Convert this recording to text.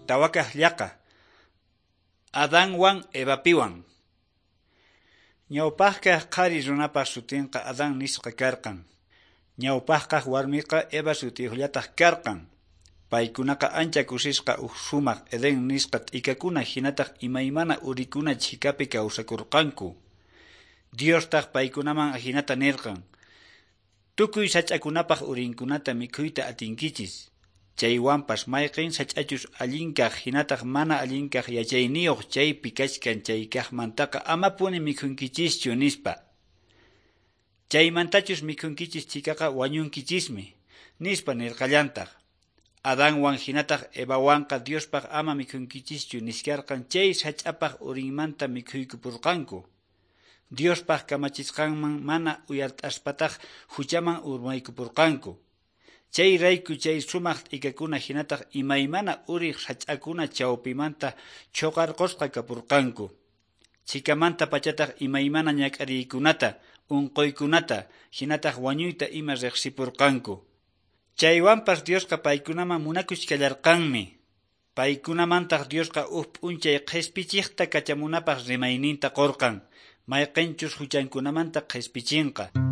Tawakaq llaqa. Adanwan Evapiwan. Ñawpaqkaq qhari runapaq sutinqa Adán nisqa karqan. Ñawpaqkaq warmiqa Eva sutiyuqllataq karqan. Paykunaqa ancha kusisqa huk sumaq Edén nisqa t'ikakuna hinataq imaymana urikuna chhikapi kawsakurqanku. Diostaq paykunaman ahinata nirqan: Tukuy sach'akunapaq urinkunata mikhuyta atinkichis. Chaywanpas mayqin sach'achus allinkaq hinataq mana allinkaq yachayniyuq chaypi kachkan chaykaqmantaqa amapuni mikhunkichischu, nispa. Chaymantachus mikhunkichis chhikaqa wañunkichismi, nispa nirqallantaq. Adanwan hinataq Evawanqa Diospaq ama mikhunkichischu niskarqan chay sach'apaq urinmanta mikhuykupurqanku. Diospaq kamachisqanman mana uyart'aspataq huchaman urmaykupurqanku. Chay rayku chay sumaq t'ikakuna hinataq imaymana uriq sach'akuna chawpimanta chuqarqusqa kapurqanku. Chhikamanta pachataq imaymana ñak'ariykunata, unquykunata, hinataq wañuyta ima riqsipurqanku. Chaywanpas Diosqa paykunaman munakuchkallarqanmi. Paykunamantaq Diosqa huk p'unchay qhispichiqta kachamunapaq rimayninta qurqan, mayqinchus huchankunamanta qhispichinqa.